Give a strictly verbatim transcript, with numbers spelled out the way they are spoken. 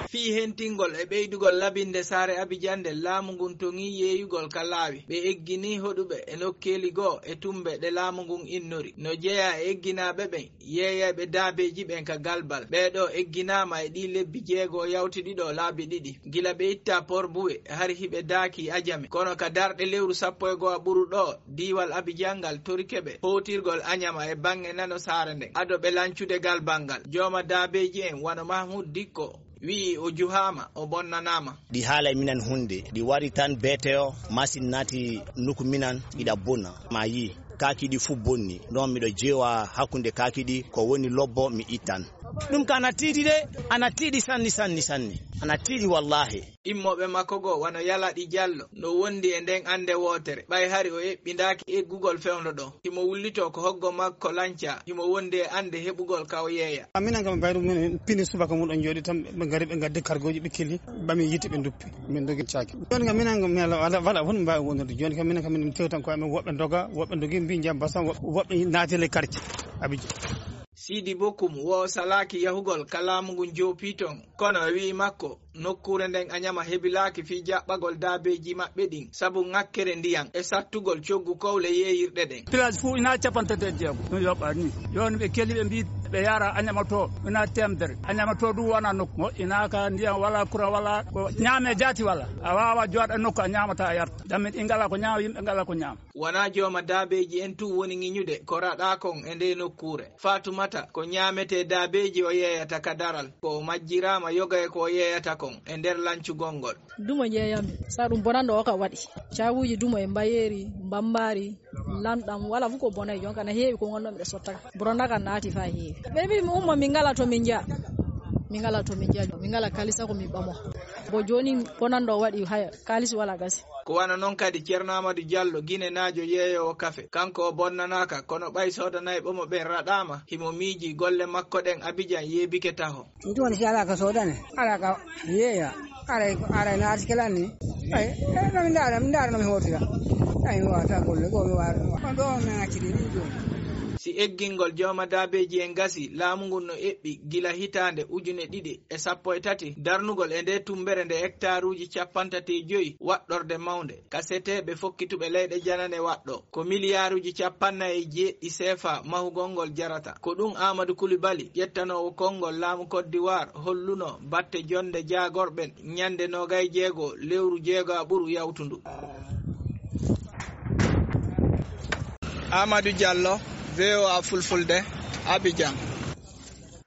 Fii hentingol e ɓeydugol labinde saare Abijan nde, laamu ngun toŋii yeeyugol ka laawi. Ɓe eggini hoɗuɓe e nokkeeli goo e tumbe ɗe laamu ngun innori. No jeyaa e egginaaɓe ɓen yeeyayɓe daabeeji ɓen ka Galbal. Ɓee ɗoo egginaama e ɗii lebbi jeego yawtuɗi ɗoo laabi ɗiɗi. Gila ɓe ittaa Port Bouët, hari hiɓe daakii Ajame. Kono ka darɗe lewru sappo e go'o ɓuru ɗoo, diiwal Abijan ngal torike ɓe hootirgol Aɲama e baŋŋe nano saare nden, ado ɓe lancude Galbal ngal. Jooma daabeeji en wano Mahmud Dikko wi'i o juhaama, o bonnanaama. Ɗi haalay minan hunde, ɗi wari tan beete o, masin naati nuku minan, iɗa bona. Ma yi, kaaki ɗi fu bonni. Non miɗo jeewa hakkunde kaaki ɗi, ko woni lobbo mi ittan. Ɗum ka ana tiiɗi de, ana tiiɗi sanni, sanni, sanni. Ana tiiɗi wallaahi. Immooɓe makko goo, wano Yalaɗi Jallo, no wondi e nden annde wootere. Ɓay hari o eɓɓindaaki eggugol fewndo ɗon, himo wullitoo ko hoggo makko lancaa, himo wondi e annde heɓugol ka o yeeya. Minen kam, bayru mum en pini subaka mum ɗon jooɗi tan, ɓe ngari, ɓe ngaddi kargooji, ɓe kili, ɓami yiite, ɓe nduppi. Min dogi caaki. Jooni kam, minen kam, mi ala, wala, wala won mbaawi wondude. Jooni kam, minen kam, minen tewtan ko amen, woɓɓe ndoga, woɓɓe ndogi, mbi jam basan, woɓɓe, woɓɓe naati e quartier. Abidjan. Siidi Bokum wo salaaki yahugol ka laamu ngun joopii ton, kono e wi'i makko, nokkuure nden Aɲama hebilaaki fii jaɓɓagol daabeeji maɓɓe ɗin sabu ŋakkere ndiyan e sattugol coggu kowle yeeyirɗe ɗen. Pilaas fuu ina capanɗe tati e jeego ɗum yoɓɓaa nii. Jooni ɓe keli ɓe mbii ɓe yaara Aɲama to ina teemedere. Aɲama to ɗum wona nokku mo ina ka ndiyan wala, kura wala, ko ɲaame jaati wala. A waawa jooɗa nokku a ɲaamata a yarta. Dammi ɗi ngala ko ɲaama, yimɓe ngala ko ɲaama. Wonaa jooma daabeeji en tun woni ŋiñude ko raɗaa kon e ndee nokkuure. Faatumata, ko ɲaametee daabeeji o yeeyata ka daral, ko o majjiraama yoga e ko o yeeyata kon e nder lancugol ngol. Dumo njeeyammi, sa ɗum bonanɗo o ka waɗi. Caabuuji dumo e mbayeeri, mbambaari, lanɗam, wala fof ko bonay. Jonka na heewi ko ngonno miɗo sotta ka. Bonana kan naati fa heewi. Ɓe mbi mi umma min ngala to min njeya. Min ngala to min njeya. Min ngala kalisa ko min ɓamo. Bo jooni bonanɗo o waɗi haya, kalis wala gasi. Ko wano non kadi Ceerno Aamadu Jallo, ginenaajo yeeyoowo kafe. Kanko o bonnanaaka, kono ɓay soodanayɓe mo ɓen raɗaama, himo miijii golle makko ɗen Abijan yeebike taho. Ɗum woni si alaa ka soodane, alaa ka yeeya, aray, aray naati kelan ni. Ay, eh, no mi ndaara, mi ndaara no mi hootira. Ay, mi waawata golle goo, mi waawata. On ɗoo on naatiri ɗum jooni. Si eggingol jooma daabeeji en gasi, laamu ngun no eɓɓi gila hitaande ujune ɗiɗi e sappo e tati, darnugol e ndee tummbere nde hektaaruuji cappanɗe tati e joy waɗɗorde mawnde, ka seteeɓe fokkituɓe leyɗe janane waɗɗo. Ko miliyaaruuji cappannayi e jeeɗiɗi seefa mahugol ngol jarata. Ko ɗum Aamadu Kulibali, ƴettanoowo konngol laamu Côte d'Ivoire, holluno batte jonnde jaagorɓe ɲande noogay e jeego lewru jeegoaɓuru yawtundu. Aamadu Jallo, V O A Fulfulde, Abijan.